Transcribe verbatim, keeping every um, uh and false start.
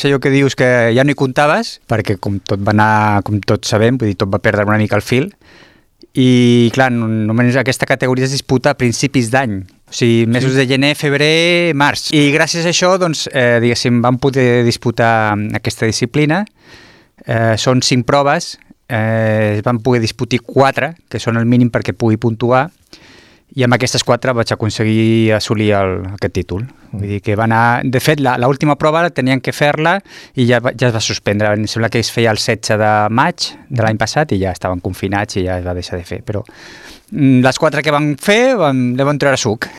Allò que dius que ja no hi comptaves, perquè com tot va anar, com tots sabem, vull dir, tot va perdre una mica el fil, i clar, només aquesta categoria es disputa a principis d'any, o sigui, mesos sí. de gener, febrer, març. I gràcies a això, doncs, eh, diguéssim, vam poder disputar aquesta disciplina. Eh, són cinc proves, eh, es van poder disputar quatre, que són el mínim perquè pugui puntuar, i amb aquestes quatre vaig aconseguir assolir el, aquest títol. Vull dir que va anar... De fet, l'última prova tenien que fer-la i ja, ja es va suspendre. Em sembla que es feia el setze de maig de l'any passat i ja estaven confinats i ja es va deixar de fer. Però les quatre que van fer, vam, li van treure suc.